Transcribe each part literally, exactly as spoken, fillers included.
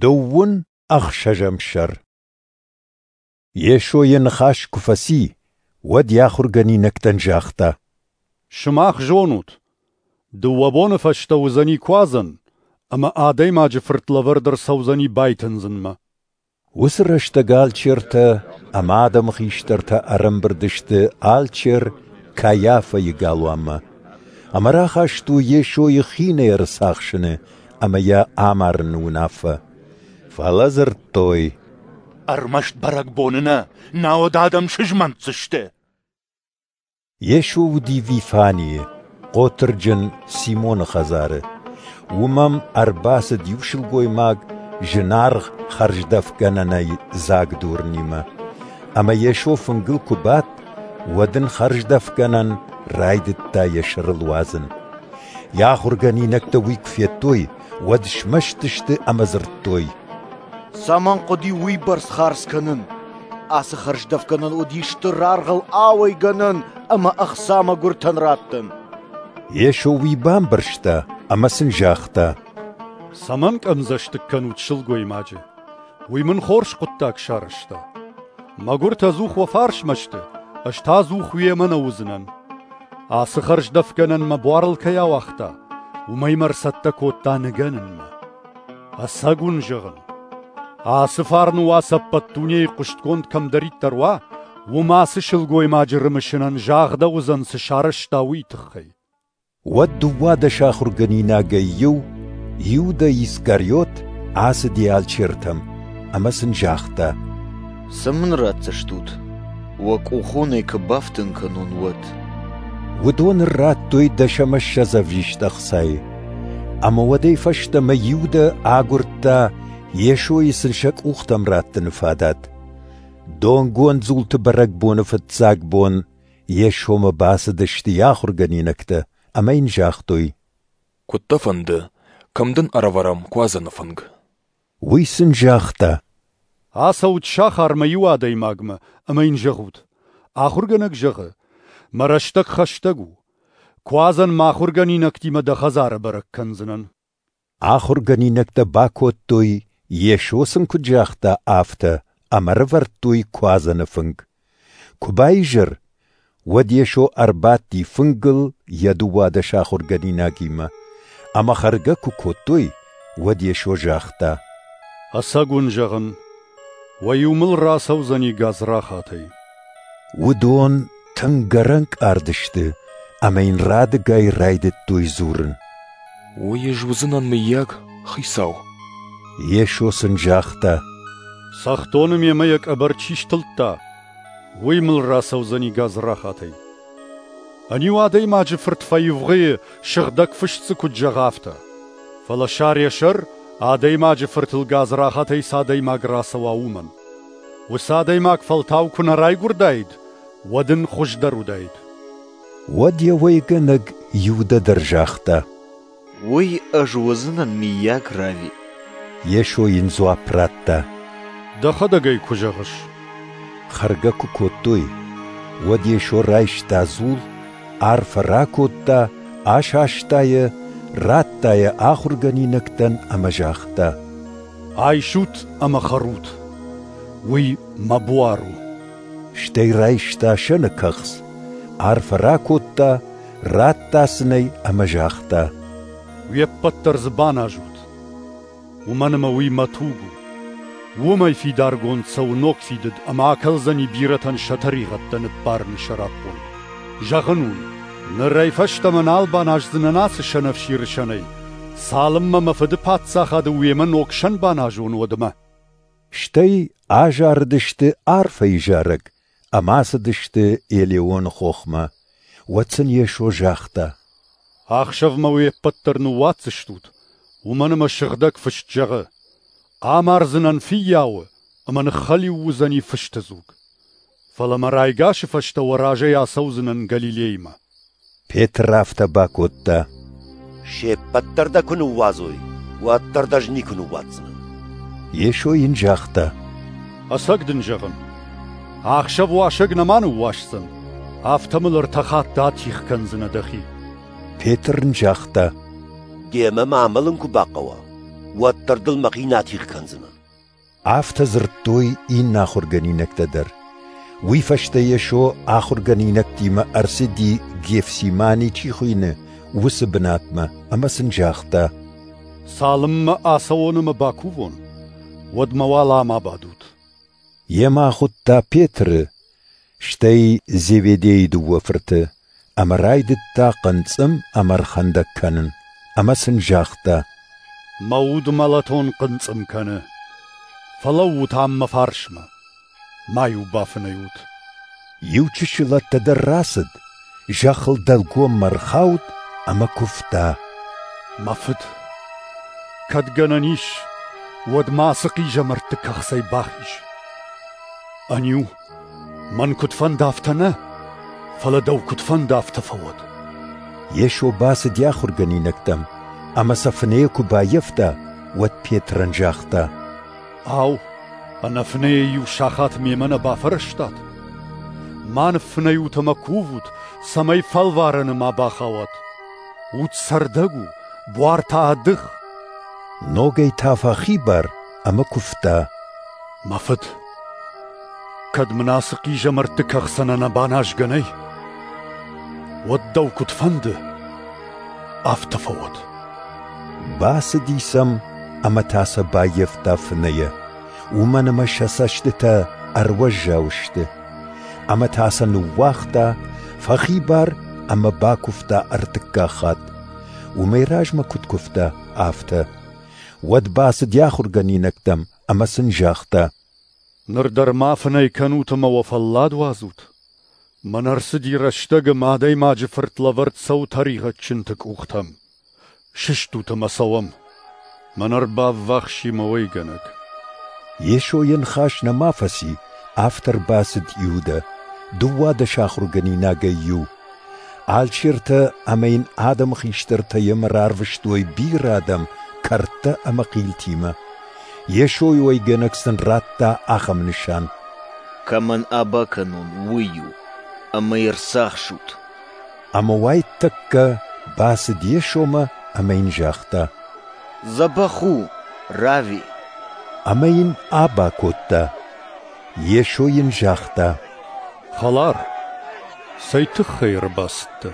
Дыууын ӕхсӕзӕм сӕр. Йесо йӕ ныхас куы фӕци, уӕд йӕ ахуыргӕнинӕгтӕн загъта: Сымах зонут, дыууӕ боны фӕстӕ уыдзӕни Куадзӕн, ӕмӕ Адӕймаджы Фырт лӕвӕрд ӕрцӕудзӕни байтындзынмӕ. Уыцы рӕстӕг алчертӕ ӕмӕ адӕмы хистӕртӕ ӕрӕмбырд сты алчер Кайафӕйы галуанмӕ ӕмӕ рахастой Йесойы хинӕй ӕрцахсыны ӕмӕ йӕ амарыны уынаффӕ. Фӕлӕ дзырдтой: Ӕрмӕст бӕрӕгбоны нӕ, науӕд адӕм сызмӕнтдзысты. Йесо уыди Вифанийы, хъотырджын Симоны хӕдзары. Уым ӕм ӕрбацыд иу сылгоймаг зынаргъ хӕрздӕфгӕнӕнӕй дзаг дурынимӕ. Ӕмӕ Йесо фынгыл куы бадт, уӕд ын хӕрздӕфгӕнӕн райдыдта йӕ сӕрыл уадзын. Йӕ ахуыргӕнинӕгтӕ уый куы федтой, уӕд смӕсты сты ӕмӕ дзырдтой: Цӕмӕн хъуыди уыйбӕрц хардз кӕнын? Ацы хӕрздӕфгӕнӕн уыди стыр аргъыл ауӕйгӕнӕн ӕмӕ ӕхца мӕгуыртӕн раттӕн. Йесо уый бамбӕрста ӕмӕ сын загъта: Цӕмӕн къӕмдзӕстыг кӕнут сылгоймаджы? Уый мын хорз хъуыддаг сарӕзта. Мӕгуыртӕ ӕдзух уӕ фарсмӕ сты, ӕз та ӕдзух уемӕ нӕ уыдзынӕн. Ацы хӕрздӕфгӕнӕн мӕ буарыл кӕй ауагъта, уымӕй мӕ ӕрцӕттӕ кодта ныгӕнынмӕ. Ӕцӕг уын зӕгъын, ацы фарны уац ӕппӕт дунейы хъуыстгонд кӕмдӕриддӕр уа, уым ацы сылгоймаджы рымысынӕн загъдӕуыдзӕн, цы сарӕзта, уый тыххӕй. Уӕд дыууадӕс ахуыргӕнинагӕй иу, Иудӕ Искариот, ацыди алчертӕм ӕмӕ сын загъта: Цы мын ратдзыстут, уӕ къухы уын ӕй куы бафтын кӕнон, уӕд? Уыдон ын радтой дӕс ӕмӕ ссӕдз ӕвзист ӕхцайы. Ӕмӕ уӕдӕй фӕстӕмӕ Иудӕ агуырдта Йесойы сын сӕ къухтӕм раттыны фадат. Донгонд дзулты бӕрӕгбоны фыццаг бон Йесомӕ бацыдысты йӕ ахуыргӕнинӕгтӕ ӕмӕ йын загътой: Куыд дӕ фӕнды, кӕм дын ӕрӕвӕрӕм Куадзӕны фынг? Уый сын загъта: Ацӕут сахармӕ иу адӕймагмӕ ӕмӕ йын зӕгъут: Ахуыргӕнӕг зӕгъы, мӕ рӕстӕг хӕстӕг у. Куадзӕн мӕ ахуыргӕнинӕгтимӕ дӕ хӕдзары бӕрӕг кӕндзынӕн. Ахуыргӕнинӕгтӕ бакодтой, Йесо сын куыд загъта, афтӕ, ӕмӕ ӕрӕвӕрдтой Куадзӕны фынг. Куы баизӕр, уӕд Йесо ӕрбадти фынгыл йӕ дыууадӕс ахуыргӕнинагимӕ. Ӕмӕ хӕргӕ куы кодтой, уӕд Йесо загъта: Ӕцӕг уын зӕгъын, уӕ иу мыл рацӕудзӕни гадзрахатӕй. Уыдон тынг ӕрӕнкъард сты ӕмӕ йын радыгай райдыдтой дзурын: Уый ӕз уыдзынӕн, мыййаг, Хицау? Йесо сын загъта: Цӕхдоны мемӕ йӕ къӕбӕр чи стылдта, уый мыл рацӕудзӕни гадзрахатӕй. Ӕниу Адӕймаджы Фырт фӕивгъуыйы, Сыгъдӕг Фыст дзы куыд зӕгъы, афтӕ. Фӕлӕ сар йӕ сӕр, Адӕймаджы Фыртыл гадзрахатӕй цы адӕймаг рацӕуа, уымӕн. Уыцы адӕймаг фӕлтау куы нӕ райгуырдаид, уӕд ын хуыздӕр уыдаид. Уӕд йӕ уӕйгӕнӕг Иудӕ дӕр загъта: Уый ӕз уыдзынӕн, мыййаг, Рави? Йесо йын дзуапп радта: Дӕхӕдӕг ӕй куы зӕгъыс. Хӕргӕ куы кодтой, уӕд Йесо райста дзул, арфӕ ракодта, асаста йӕ, радта йӕ ахуыргӕнинӕгтӕн ӕмӕ загъта: Айсут ӕмӕ хӕрут. Уый мӕ буар у. Стӕй райста сӕны кӕхц, арфӕ ракодта, радта сын ӕй ӕмӕ загъта: Уе ппӕт дӕр дзы баназут, уымӕн ӕмӕ уый мӕ туг у. Уымӕй фидаргонд цӕуы ног фидыд ӕмӕ акӕлдзӕни бирӕтӕн сӕ тӕригъӕдтӕ ныббарыны сӕраппонд. Зӕгъын уын, нырӕй фӕстӕмӕ нал баназдзынӕн ацы сӕнӕфсиры сӕнӕй, цалынмӕ мӕ Фыды паддзахады уемӕ ног сӕн баназон, уӕдмӕ. Стӕй азарыдысты арфӕйы зарӕг ӕмӕ ацыдысты Елеоны хохмӕ. Уӕд сын Йесо загъта: Ахсӕв мӕ уе ппӕт дӕр ныууадздзыстут, уымӕн ӕмӕ Сыгъдӕг Фыст зӕгъы: Амардзынӕн фыййауы, ӕмӕ ныххӕлиу уыдзӕни фысты дзуг. Фӕлӕ мӕ райгасы фӕстӕ уӕ разӕй ацӕудзынӕн Галилеймӕ. Петр афтӕ бакодта: Се ппӕт дӕр дӕ куы ныууадзой, уӕддӕр дӕ ӕз никуы ныууадздзынӕн. Йесо йын загъта: Ӕцӕг дын зӕгъын, ахсӕв уасӕг нӕма ныууасдзӕн, афтӕ мыл ӕртӕ хатты атигъ кӕндзынӕ дӕхи. Петр ын загъта: Демӕ мӕ амӕлын куы бахъӕуа, уӕддӕр дыл мӕхи нӕ атигъ кӕндзынӕн. Афтӕ дзырдтой иннӕ ахуыргӕнинӕгтӕ дӕр. Уый фӕстӕ Йесо ахуыргӕнинӕгтимӕ ӕрцыди, Гефсимани чи хуыйны, уыцы бынатмӕ ӕмӕ сын загъта: Цалынмӕ ацӕуон ӕмӕ бакувон, уӕдмӕ уал ам абадут. Йемӕ ахуыдта Петры, стӕй Зеведейы дыууӕ фырты, ӕмӕ райдыдта хъынцъым ӕмӕ ӕрхӕндӕг кӕнын, ӕмӕ сын загъта: Мӕ уд мӕлӕтон хъынцъым кӕны. Фӕлӕуут ам мӕ фарсмӕ. Ма-иу бафынӕй ут. Иу чысыл ӕддӕдӕр рацыд, зӕххыл дӕлгоммӕ ӕрхауд ӕмӕ куывта: Мӕ фыд, кӕд гӕнӕн ис, уӕд ма ацы хъизӕмӕртты кӕхцӕй бахиз. Ӕниу, мӕн куыд фӕнды, афтӕ нӕ, фӕлӕ дӕу куыд фӕнды, афтӕ фӕуӕд. Йесо бацыди ахуыргӕнинӕгтӕм, ӕмӕ сӕ фынӕйӕ куы баййӕфта, уӕд Петрӕн загъта: Ау, ӕнӕфынӕйӕ иу сахат мемӕ нӕ бафӕрӕзтат? Ма ныффынӕй ут ӕмӕ кувут, цӕмӕй фӕлварӕны ма бахауат. Уд цӕрдӕг у, буар та ӕдых. Ногӕй та фӕхибар ӕмӕ куывта: Мӕ фыд, кӕд мын ацы хъизӕмӕртты кӕхцӕн ӕнӕ баназгӕ нӕй, уӕд дӕу куыд фӕнды, афтӕ фӕуӕд. Бацыди сӕм ӕмӕ та сӕ баййӕфта фынӕйӕ, уымӕн ӕмӕ сӕ цӕстытӕ ӕруӕззау сты. Ӕмӕ та сӕ ныууагъта, фӕхибар ӕмӕ бакуывта ӕртыккаг хатт. Уымӕй размӕ куыд куывта, афтӕ. Уӕд бацыди ахуыргӕнинӕгтӕм ӕмӕ сын загъта: Ныр дӕр ма фынӕй кӕнут ӕмӕ уӕ фӕллад уадзут. Мӕн ӕрцыди рӕстӕг ӕмӕ Адӕймаджы Фырт лӕвӕрд цӕуы тӕригъӕдджынты къухтӕм. Сыстут ӕмӕ цӕуӕм. Мӕн ӕрбаввахс и мӕ уӕйгӕнӕг. Йесо йӕ ныхас нӕма фӕци, афтӕ ӕрбацыд Иудӕ, дыууадӕс ахуыргӕнинагӕй иу. Алчертӕ ӕмӕ йын адӕмы хистӕртӕ йемӕ рарвыстой бирӕ адӕм кӕрдтӕ ӕмӕ хъилтимӕ. Йесойы уӕйгӕнӕг сын радта ахӕм нысан: Кӕмӕн аба кӕнон, уый у, ӕмӕ йӕ рцахсут. Ӕмӕ уайтӕккӕ бацыд Йесомӕ ӕмӕ йын загъта: Дзӕбӕх у, Рави. Ӕмӕ йын аба кодта. Йесо йын загъта: Хӕлар, цӕй тыххӕй ӕрбацыдтӕ?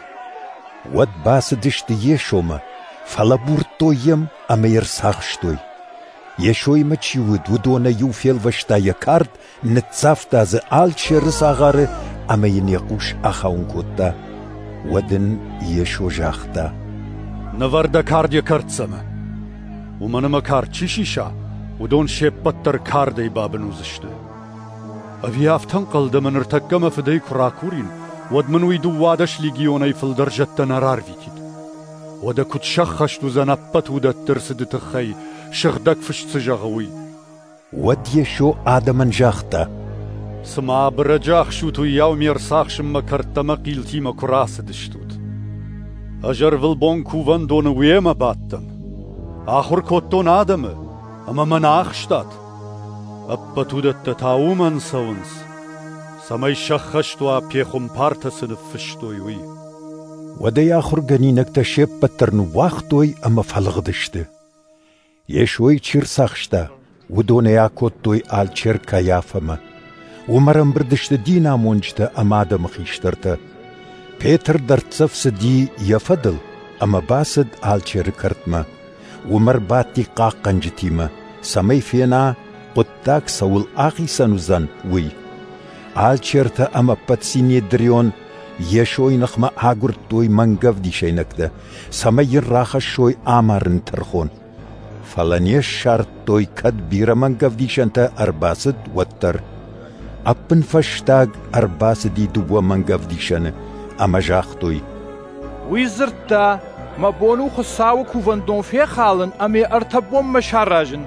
Уӕд бацыдысты Йесомӕ, фӕлӕбурдтой йӕм ӕмӕ йӕ рцахстой. Йесоимӕ чи уыд, уыдонӕй иу фелвӕста йӕ кард, ныццавта дзы алчеры цагъары ӕмӕ йын йӕ хъус ахауын кодта. Уӕд ын Йесо загъта: Нывӕр дӕ кард йӕ кӕрддзӕмы. Уымӕн ӕмӕ кард чи сиса, уыдон се ппӕт дӕр кардӕй бабын уыдзысты. Ӕви афтӕ ӕнхъӕл дӕ, ӕмӕ ныртӕккӕ мӕ фыдӕй куы ракурин, уӕд мын уый дыууадӕс легионӕй фылдӕр зӕдтӕ нӕ рарвитид? Уӕдӕ куыд сӕххӕст уыдзӕн ӕппӕт уыдӕтты ӕрцыды тыххӕй, Сыгъдӕг Фыст цы зӕгъы, уый? Уӕд Йесо адӕмӕн загъта: Цыма абырӕджы ахсут, уыйау ме рцахсынмӕ кӕрдтӕ ӕмӕ хъилтимӕ куы рацыдыстут. Ӕз ӕрвылбон кувӕндоны уемӕ бадтӕн. Ахуыр кодтон адӕмы, ӕмӕ мӕ нӕ ахстат. Ӕппӕт уыдӕттӕ та уымӕн цӕуынц, цӕмӕй сӕххӕст уа, пехуымпартӕ цы ныффыстой, уый. Уӕд ӕй ахуыргӕнинӕгтӕ се ппӕт дӕр ныууагътой ӕмӕ фӕлыгъдысты. Йесойы чи рцахста, уыдон ӕй акодтой алчер Кайафӕмӕ. Уым ӕрӕмбырд сты динамонджытӕ ӕмӕ адӕмы хистӕртӕ. Петр дӕрддзӕф цыди йӕ фӕдыл ӕмӕ бацыд алчеры кӕртмӕ. Уым ӕрбадти хъахъхъӕнджытимӕ, цӕмӕй фена, хъуыддаг цӕуыл ахицӕн уыдзӕн, уый. Алчертӕ ӕмӕ ӕппӕт Синедрион Йесойы ныхмӕ агуырдтой мӕнгӕвдисӕйнӕгтӕ, цӕмӕй йын рахӕссой амарыны тӕрхон. Фӕлӕ не ссардтой, кӕд бирӕ мӕнгӕвдисӕнтӕ ӕрбацыд, уӕддӕр. Ӕппынфӕстаг ӕрбацыди дыууӕ мӕнгӕвдисӕны ӕмӕ загътой: Уый дзырдта, мӕ бон у Хуыцауы кувӕндон фехалын ӕмӕ йӕ ӕртӕ бонмӕ саразын.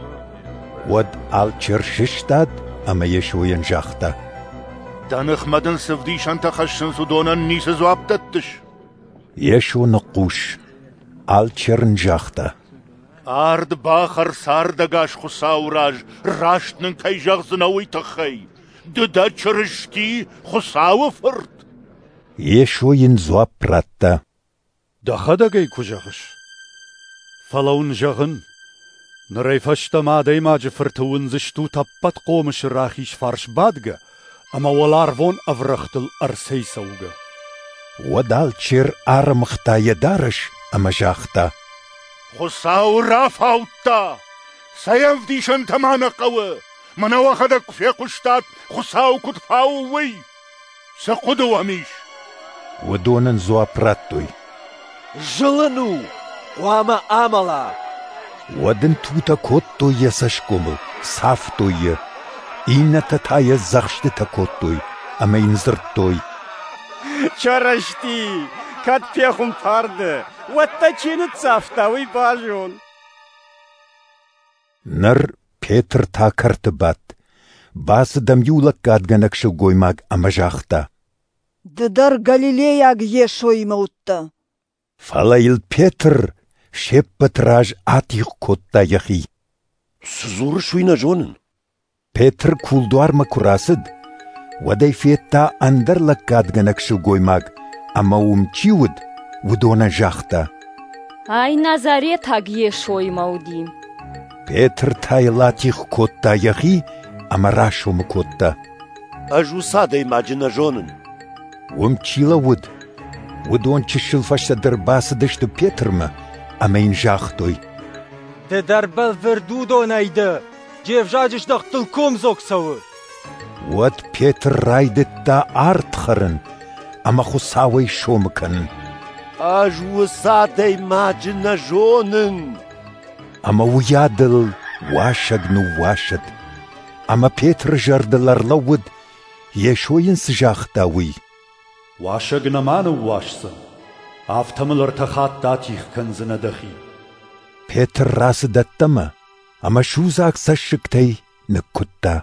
Уӕд алчер сыстад ӕмӕ Йесойӕн загъта: Дӕ ныхмӕ дын цы вдисӕнтӕ хӕссынц, уыдонӕн ницы дзуапп дӕттыс? Йесо ныхъхъус. Алчер ын загъта: Ард бахӕр цардӕгас Хуыцауы раз, раст нын кӕй зӕгъдзынӕ, уый тыххӕй. Ды дӕ Чырысти, Хуыцауы Фырт? Йесо йын дзуапп радта: Дӕхӕдӕг ӕй куы зӕгъыс. Фӕлӕ уын зӕгъын, Нырӕй фӕстӕмӕ Адӕймаджы Фырты уындзыстут Ӕппӕтхъомысы рахиз фарс бадгӕ ӕмӕ уӕларвон ӕврӕгътыл ӕрцӕйцӕугӕ. Уӕд алчер арӕмыгъта йӕ дарӕс ӕмӕ загъта: Хуыцауы рафаудта! Цӕй ӕвдисӕнтӕ ма нӕ хъӕуы? Мӕнӕ уӕхӕдӕг куы фехъуыстат, Хуыцау куыд фауы, уый! Цы хъуыды уӕм ис? Уыдон ын дзуапп радтой: Зылын у! Хъуамӕ амӕла! Уӕд ын тутӕ кодтой йӕ цӕсгомыл, цавтой йӕ. Иннӕтӕ та йӕ дзӕхстытӕ кодтой ӕмӕ йын дзырдтой: Чырысти, кӕд пехуымпар дӕ, уӕд дӕ чи ныццавта, уый базон. Ныр Петр та кӕрты бадт. Бацыд ӕм иу лӕггадгӕнӕг сылгоймаг ӕмӕ загъта: Ды дӕр галилейаг Йесоимӕ уыдтӕ. Фӕлӕ йыл Петр се ппӕты раз атигъ кодта йӕхи. Цы дзурыс, уый нӕ зонын. Петр кулдуармӕ куы рацыд, уӕд ӕй федта ӕндӕр лӕггадгӕнӕг сылгоймаг ӕмӕ уым чи уыд, уыдонӕн загъта: Ай Назаретаг Йесоимӕ уыди. Петр та йыл атигъ кодта йӕхи ӕмӕ расомы кодта: Ӕз уыцы адӕймаджы нӕ зонын. Уым чи лӕууыд, уыдон чысыл фӕстӕдӕр бацыдысты Петрмӕ ӕмӕ йын загътой: Ды дӕр бӕлвырд уыдонӕй дӕ, де взаджы здӕхтыл комдзог цӕуы. Уӕд Петр райдыдта ард хӕрын ӕмӕ Хуыцауӕй сомы кӕнын: Ӕз уыцы адӕймаджы нӕ зонын. Ӕмӕ уыйадыл уасӕг ныууасыд. Ӕмӕ Петры зӕрдыл ӕрлӕууыд, Йесо йын цы загъта, уый: Уасӕг нӕма ныууасдзӕн, афтӕ мыл ӕртӕ хатты атигъ кӕндзынӕ дӕхи. Петр рацыд ӕддӕмӕ ӕмӕ судзаг цӕссыгтӕй ныккуыдта.